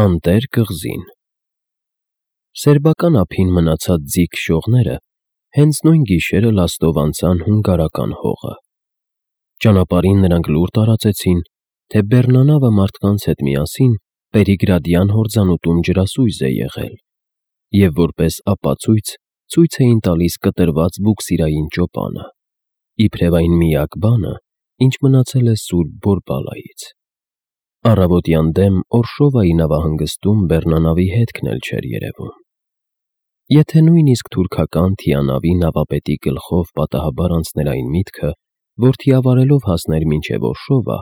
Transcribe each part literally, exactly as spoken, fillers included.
Անտեր կղզին։ Սերբական ափին մնացած ձիգ շողները հենց նույն գիշերը լաստով անցան հունգարական հողը։ Ճանապարհին նրանք լուր տարածեցին, թե բեռնանավը մարդկանց հետ միասին Պերիգրադյան հորձանուտում ջրասույզ է եղել, և որպես ապացույց ցույց էին տալիս կտրված բուքսիրային ճոպանը, իբրև այն միակ բանը, ինչ մնացել է սուրբ Բորբալայից։ Առավոտյան դեմ Օրշովայի նավահանգստում բեռնանավի հետքն էլ չէր երևում։ Եթե նույնիսկ թուրքական թիանավի նավապետի գլխով պատահաբար անցներ այն միտքը, որ թիավարելով հասներ մինչև Օրշովա,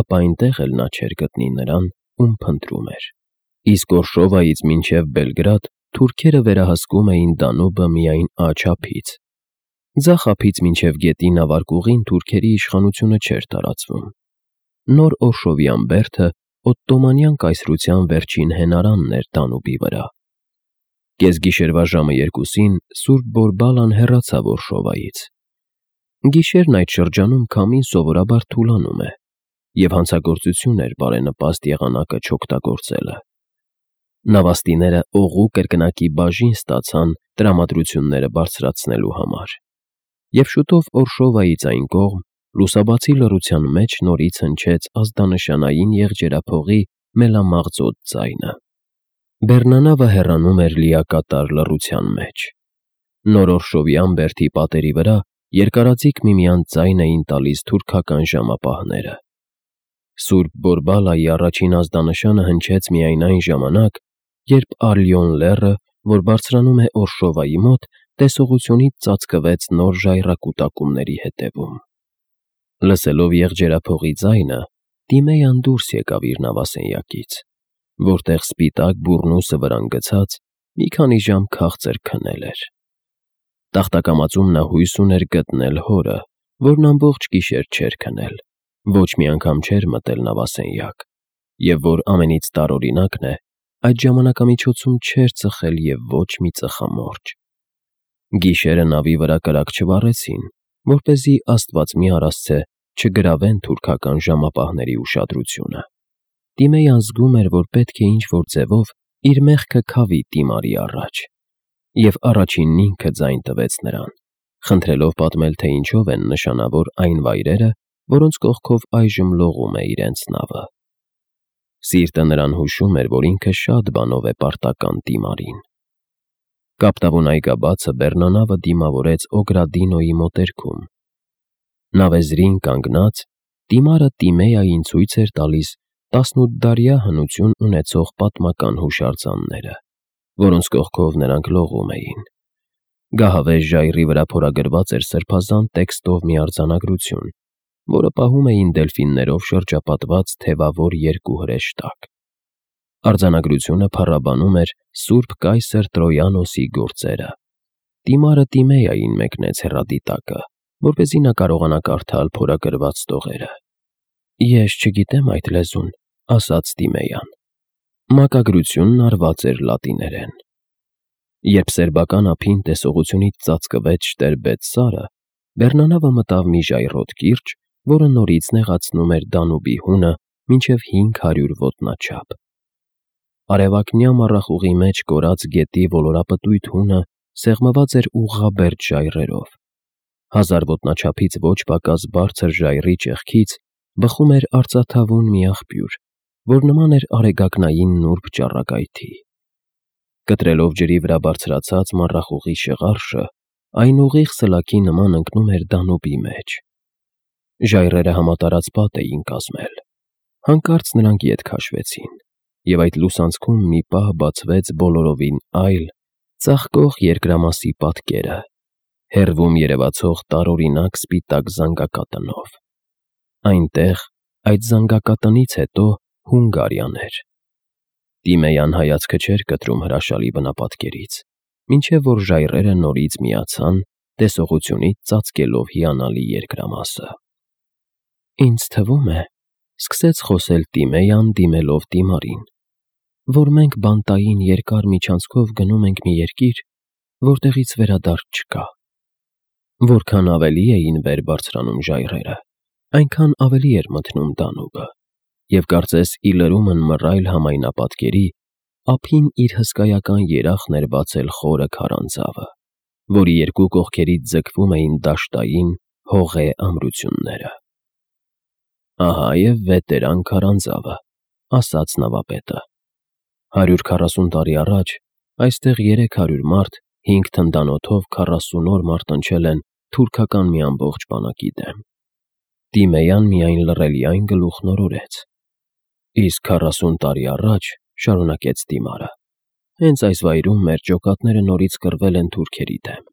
ապա այնտեղ էլ նա չէր գտնի նրան, ում փնտրում էր։ Իսկ Օրշովայից մինչև Բելգրադ թուրքերը վերահսկում էին Դանուբը միայն աջ ափից։ Ձախ ափից մինչև գետի նավարկուղին թուրքերի իշխանությունը չէր տարածվում։ Նոր Օրշովյան բերդը օտտոմանյան կայսրության վերջին հենարանն էր Դանուբի վրա։ Կեսգիշերվա ժամը երկուսին սուրբ Բորբալան հեռացավ Օրշովայից։ Գիշերն այդ շրջանում քամին սովորաբար թուլանում է, և հանցագործություն էր բարենպաստ եղանակը չօգտագործելը։ Նավաստիները օղու կրկնակի բաժին ստացան տրամադրությունները բարձրացնելու համար, և շուտով Օրշովայից այն կողմ լուսաբացի լռության մեջ նորից հնչեց ազդանշանային եղջերափողի մելամաղձոտ ձայնը։ Բեռնանավը հեռանում էր լիակատար լռության մեջ։ Նոր Օրշովյան բերդի պատերի վրա երկարաձիգ միմյանց ձայն էին տալիս թուրքական ժամապահները։ Սուրբ Բորբալայի առաջին ազդանշանը հնչեց միայն այն ժամանակ, երբ Արլիոն լեռը, որ բարձրանում է Օրշովայի մոտ, տեսողությունից ծածկվեց նոր ժայռակուտակումների հետևում։ Լսելով եղջերափողի ձայնը, Տիմեյան դուրս եկավ իր նավասենյակից, որտեղ սպիտակ բուռնուսը վրան գցած մի քանի ժամ քաղցր քնել էր։ Տախտակամածում նա հույս ուներ գտնել հորը, որն ամբողջ գիշեր չէր քնել, ոչ մի անգամ չէր մտել նավասենյակ, և որ ամենից տարօրինակն է, այդ ժամանակամիջոցում չէր ծխել և ոչ մի ծխամորճ։ Գիշերը նավի վրա կրակ չվառեցին, որպեսզի աստված մի արասցե չգրավեն թուրքական ժամապահների ուշադրությունը։ Տիմեյան զգում էր, որ պետք է ինչ-որ ձևով իր մեղքը քավի Տիմարի առաջ, և առաջինն ինքը ձայն տվեց նրան, խնդրելով պատմել, թե ինչով են նշանավոր այն վայրերը, որոնց կողքով այժմ լողում է իրենց նավը։ Սիրտը նրան հուշում էր, որ ինքը շատ բանով է պարտական Տիմարին։ Կապտավուն այգաբացը բեռնանավը դիմավորեց Օգրադինոյի մոտերքում։ Նավեզրին կանգնած, Տիմարը Տիմեային ցույց էր տալիս տասնութդարյա հնություն ունեցող պատմական հուշարձանները, որոնց կողքով նրանք լողում էին։ Գահավեժ ժայռի վրա փորագրված էր սրբազան տեքստով մի արձանագրություն, որը պահում էին դելֆիններով շրջապատված թևավոր երկու հրեշտակ։ Արձանագրությունը փառաբանում էր սուրբ կայսր Տրոյանոսի գործերը։ Տիմարը Տիմեային մեկնեց հեռադիտակը, որպեսզի նա կարողանա կարդալ փորագրված տողերը։ «Ես չգիտեմ այդ լեզուն», ասաց Տիմեյան։ Մակագրությունն արված էր լատիներեն։ Երբ սերբական ափին տեսողությունից ծածկվեց Շտերբետ սարը, բեռնանավը մտավ մի ժայռոտ կիրճ, որը նորից նեղացնում էր Դանուբի հունը մինչև հինգ հարյուր ոտնաչափ։ Արևակնյա մառախուղի մեջ կորած գետի ոլորապտույտ հունը սեղմված էր ուղղաբերդ ժայռերով։ Հազար ոտնաչափից ոչ պակաս բարձր ժայռի ճեղքից բխում էր արծաթավուն մի աղբյուր, որ նման էր արեգակնային նուրբ ճառագայթի։ Կտրելով ջրի վրա բարձրացած մառախուղի շղարշը, այն ուղիղ սլաքի նման ընկնում էր Դանուբի մեջ։ Ժայռերը համատարած պատ էին կազմել։ Հանկարծ նրանք ետ քաշվեցին, և այդ լուսանցքում մի պահ բացվեց բոլորովին այլ, ծաղկող երկրամասի պատկերը, հեռվում երևացող տարօրինակ սպիտակ զանգակատնով։ Այնտեղ, այդ զանգակատնից հետո, Հունգարիան էր։ Տիմեյան հայացքը չէր կտրում հրաշալի բնապատկերից, մինչև որ ժայռերը նորից միացան, տեսողությունից ծածկելով հիանալի երկրամասը։ «Ինձ թվում է,֊ սկսեց խոսել Տիմեյան, դիմելով Տիմարին,֊ որ մենք բանտային երկար միջանցքով գնում ենք մի երկիր, որտեղից վերադարձ չկա։ Որքան ավելի էին վեր բարձրանում ժայռերը, այնքան ավելի էր մթնում Դանուբը, և կարծես ի լրումն մռայլ համայնապատկերի, ափին իր հսկայական երախն էր բացել խորը քարանձավը, որի երկու կողքերից ձգվում էին դաշտային, հողե ամրությունները։ «Ահա և վետերան քարանձավը», ասաց նավապետը։ «Հարյուր քառասուն տարի առաջ այստեղ երեք հարյուր մարդ հինգ թնդանոթով քառասուն օր մարտնչել են թուրքական մի ամբողջ բանակի դեմ։ Տիմեյան միայն լռելիայն գլուխն օրորեց։ Իսկ քառասուն տարի առաջ, — շարունակեց Տիմարը, — հենց այս վայրում մեր ջոկատները նորից կռվել են թուրքերի դեմ։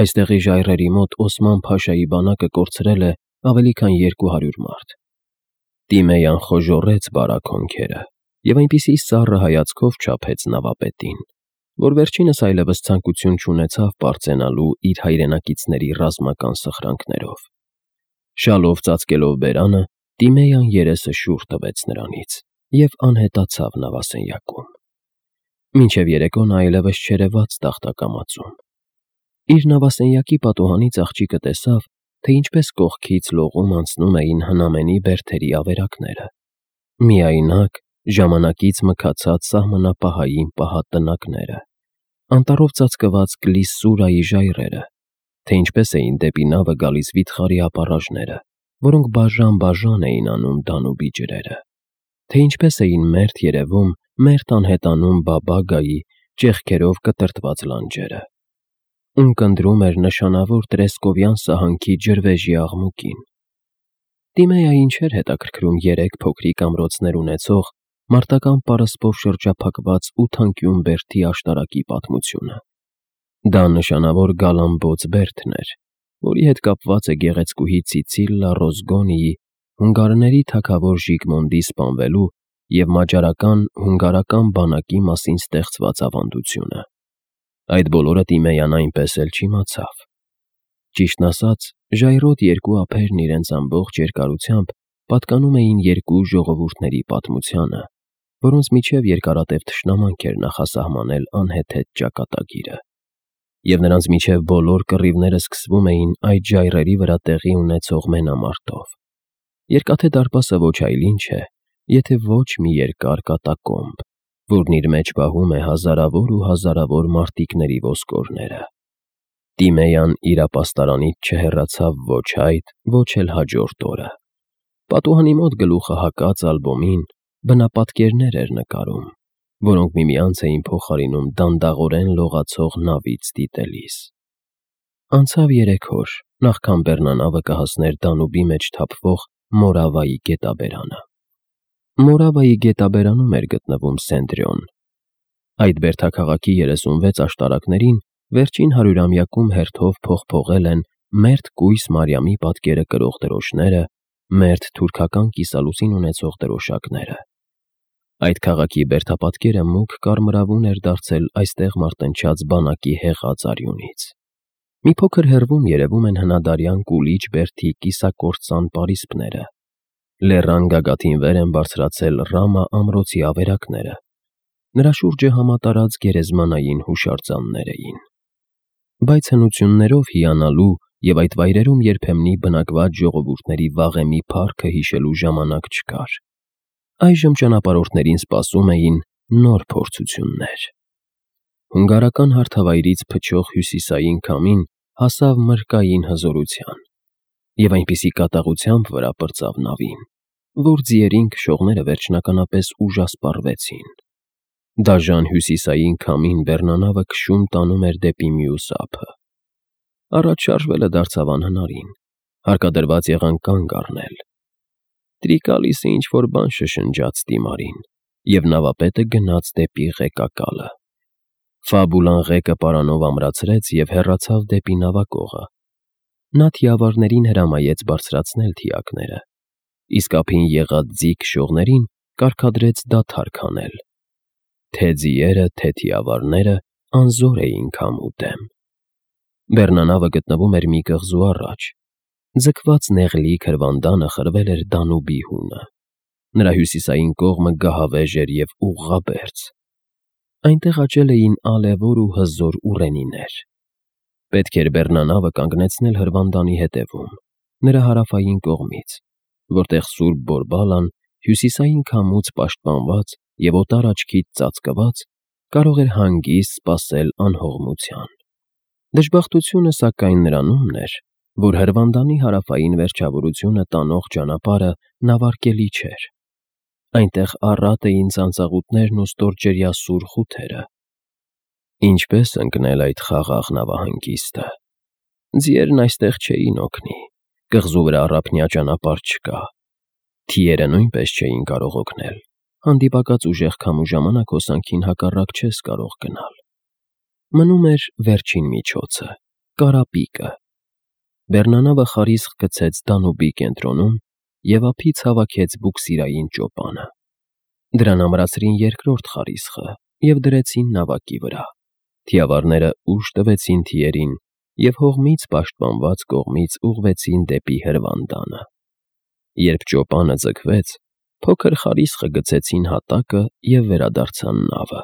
Այստեղի ժայռերի մոտ Օսման Փաշայի բանակը կորցրել է ավելի քան երկու հարյուր մարդ։ Տիմեյան խոժոռեց բարակ հոնքերը և այնպիսի սառը հայացքով չափեց նավապետին, որ վերջինս այլևս ցանկություն չունեցավ պարծենալու իր հայրենակիցների ռազմական սխրանքներով։ Շալով ծածկելով բերանը, Տիմեյան երեսը շուռ տվեց նրանից և անհետացավ նավասենյակում։ Մինչև երեկո նա այլևս չերևաց տախտակամածում։ Իր նավասենյակի պատուհանից աղջիկը տեսավ, թե ինչպես կողքից լողում անցնում էին հնամենի բերդերի ավերակները, միայնակ, ժամանակից մքացած սահմանապահային պահատնակները, անտառով ծածկված կլիսսուրայի ժայռերը, թե ինչպես էին դեպի նավը գալիս վիթխարի ապառաժները, որոնք բաժան-բաժան էին անում Դանուբի ջրերը, թե ինչպես էին մերթ երևում, մերթ անհետանում Բաբագայի ճեղքերով կտրտված լանջերը, ունկնդրում էր նշանավոր տրեսկովյան սահանքի ջրվեժի աղմուկին։ Տիմեյային չէր հետաքրքրում երեք փոքրիկ ամրոցներ ունեցող, մարտական պարսպով շրջափակված ութանկյուն բերդի աշտարակի պատմությունը։ Դա նշանավոր գալամբոց բերդն էր, որի հետ կապված է գեղեցկուհի Ցիցիլլա Ռոզգոնիի հունգարների թագավոր Ժիգմոնդի սպանվելու և մաջարական հունգարական բանակի մասին ստեղծված ավանդությունը։ Այդ բոլորը Տիմեյան այնպես էլ չիմացավ։ Ճիշտն ասած, ժայռոտ երկու ափերն իրենց ամբողջ երկարությամբ պատկանում էին երկու ժողովուրդների պատմությանը, որոնց միջև երկարատև թշնամանք էր նախասահմանել անհեթեթ ճակատագիրը, և նրանց միջև բոլոր կռիվները սկսվում էին այդ ժայռերի վրա տեղի ունեցող մենամարտով։ Երկաթե դարպասը ոչ այլ ինչ է, եթե ոչ մի երկար կատակոմբ, որն իր մեջ պահում է հազարավոր ու հազարավոր մարտիկների ոսկորները։ Տիմեյան իր ապաստարանից չհեռացավ ոչ այդ, ոչ էլ հաջորդ օրը։ Պատուհանի մոտ գլուխը հակած ալբոմին բնապատկերներ էր նկարում, որոնք միմյանց էին փոխարինում դանդաղորեն լողացող նավից դիտելիս։ Անցավ երեք օր, նախքան բեռնանավը կհասներ Դանուբի մեջ թափվող Մորավայի գետաբերանը։ Մորավայի գետաբերանում էր գտնվում Սենտրիոն։ Այդ բերդաքաղաքի երեսունվեց աշտարակներին վերջին հարյուրամյակում հերթով փոխփողել են մերթ կույս Մարիամի պատկերը կրող դրոշները, մերթ թուրքական կիսալուսին ունեցող դրոշակները։ Այդ քաղաքի բերդապատկերը մուգ կարմրավուն էր դարձել այստեղ մարտնչած բանակի հեղած արյունից։ Մի փոքր հեռվում երևում են հնադարյան Կուլիչ բերդի կիսակործան պարիսպները։ Լեռան գագաթին վեր են բարձրացել Ռամա ամրոցի ավերակները։ Նրա շուրջը համատարած գերեզմանային հուշարձաններ էին։ Բայց հնություններով հիանալու և այդ վայրերում երբեմնի բնակված ժողովուրդների վաղեմի փառքը հիշելու ժամանակ չկար։ Այժմ ճանապարհորդներին սպասում էին նոր փորձություններ։ Հունգարական հարթավայրից փչող հյուսիսային քամին հասավ մրկային հզորության և այնպիսի կատաղությամբ վրա պրծավ նավին, որ ձիերին քշողները վերջնականապես ուժասպառվեցին։ Դաժան հյուսիսային քամին բեռնանավը քշում տանում էր դեպի մյուս ափը։ Առաջ շարժվելը դարձավ անհնարին, հարկադրված եղան կանգ առնել։ Տրիկալիսը ինչ-որ բան շշնջաց Տիմարին, և նավապետը գնաց դեպի ղեկակալը։ Ֆաբուլան ղեկը պարանով ամրացրեց և հեռացավ դեպի նավակողը։ Նա թիավարներին հրամայեց բարձրացնել թիակները, իսկ ափին եղած ձի քշողներին կարգադրեց դադար քանել։ Թե՛ ձիերը, թե՛ թիավարները անզոր էին քամու դեմ։ Բեռնանավը գտնվում էր մի կղզու առաջ։ Ձգված նեղլիկ հրվանդանը խրվել էր Դանուբի հունը։ Նրա հյուսիսային կողմը գահավեժ էր և ուղղաբերձ։ Այնտեղ աճել էին ալևոր ու հզոր ուռենիներ։ Պետք էր բեռնանավը կանգնեցնել հրվանդանի հետևում, նրա հարավային կողմից, որտեղ Սուրբ Բորբալան հյուսիսային քամուց պաշտպանված և օտար աչքից ծածկված, կարող էր հանգիստ սպասել անհողմության։ Դժբախտությունը, սակայն, նրանումն էր, որ Հրվանդանի հարավային վերջավորությունը տանող ճանապարհը նավարկելի չէր։ Այնտեղ առատ էին ծանծաղուտներն ու ստորջրյա սուր խութերը։ Ինչպե՞ս ընկնել այդ խաղաղ նավահանգիստը։ Ձիերն այստեղ չէին օգնի, կղզու վրա առափնյա ճանապարհ չկա։ Թիերը նույնպես չէին կարող օգնել, հանդիպակաց ուժեղ քամու ժամանակ հոսանքին հակառակ չես կարող գնալ։ Մնում էր վերջին միջոցը՝ կարապիկը։ Բեռնանավը խարիսխ գցեց Դանուբի կենտրոնում և ափից հավաքեց բուքսիրային ճոպանը։ Դրան ամրացրին երկրորդ խարիսխը և դրեցին նավակի վրա։ Թիավարները ուժ տվեցին թիերին և հողմից պաշտպանված կողմից ուղղվեցին դեպի Հրվանդանը։ Երբ ճոպանը ձգվեց, փոքր խարիսխը գցեցին հատակը և վերադարձան նավը։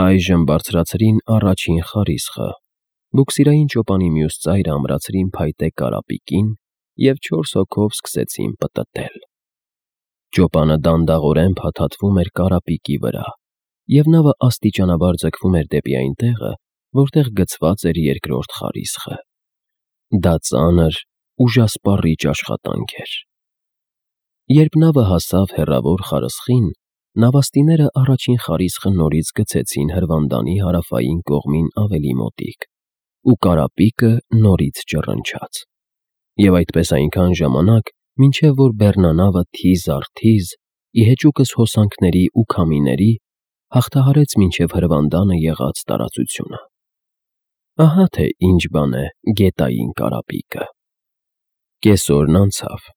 Այժմ բարձրացրին առաջին խարիսխը, բուքսիրային ճոպանի մյուս ծայրը ամրացրին փայտե կարապիկին և չորս հոգով սկսեցին պտտել։ Ճոպանը դանդաղորեն փաթաթվում էր կարապիկի վրա, և նավը աստիճանաբար ձգվում էր դեպի այն տեղը, որտեղ գցված էր երկրորդ խարիսխը։ Դա ծանր, ուժասպառիչ աշխատանք էր։ Երբ նավը հասավ հեռավոր խարսխին, նավաստիները առաջին խարիսխը նորից գցեցին Հրվանդանի հարավային կողմին ավելի մոտիկ, ու կարապիկը նորից ճռնչաց։ Եվ այդպես այնքան ժամանակ, մինչև որ բեռնանավը թիզ առ թիզ, ի հեճուկս հոսանքների ու քամիների, հաղթահարեց մինչև Հրվանդանը եղած տարածությունը։ Ահա թե ինչ բան է գետային կարապիկը։ Կես օրն անցավ,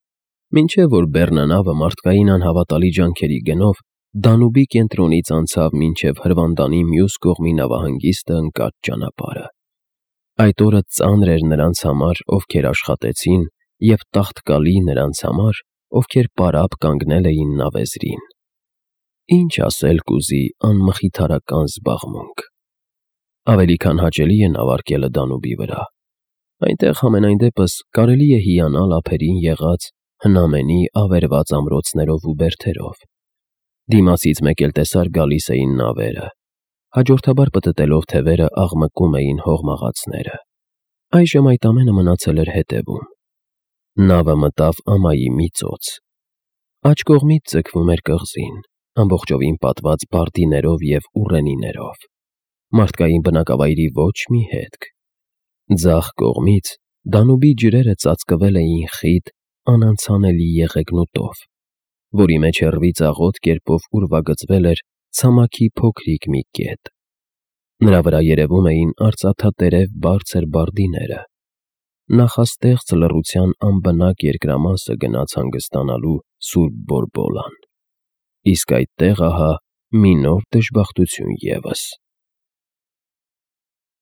մինչև որ բեռնանավը մարդկային անհավատալի ջանքերի գնով Դանուբի կենտրոնից անցավ մինչև Հրվանդանի մյուս կողմի նավահանգիստը ընկած ճանապարհը։ Այդ օրը ծանր էր նրանց համար, ովքեր աշխատեցին, և տաղտկալի նրանց համար, ովքեր պարապ կանգնել էին նավեզրին։ Ինչ ասել կուզի անմխիթարական զբաղմունք։ Ավելի քան հաճելի է նավարկելը Դանուբի վրա։ Այնտեղ համենայն դեպս կարելի է հիանալ ափերին եղած հնամենի ավերված ամրոցներով ու բերդերով։ Դիմացից մեկ էլ տեսար գալիս էին նավերը, հաջորդաբար պտտելով թևերը աղմկում էին հողմաղացները։ Այժմ այդ ամենը մնացել էր հետևում։ Նավը մտավ ամայի մի ծոց։ Աջ կողմից ձգվում էր կղզին, ամբողջովին պատված բարդիներով և ուռենիներով։ Մարդկային բնակավայրի ոչ մի հետք։ Ձախ կողմից Դանուբի ջրերը ծածկվել էին խիտ, անանցանելի եղեգնուտով, որի մեջ հեռվից աղոտ կերպով ուրվագծվել էր ցամաքի փոքրիկ մի կետ։ Նրա վրա երևում էին արծաթատերև բարձր բարդիները։ Նախաստեղծ լռության անբնակ երկրամասը գնաց հանգստանալու Սուրբ Բորբոլան։ Իսկ այդտեղ ահա մի նոր դժբախտություն ևս։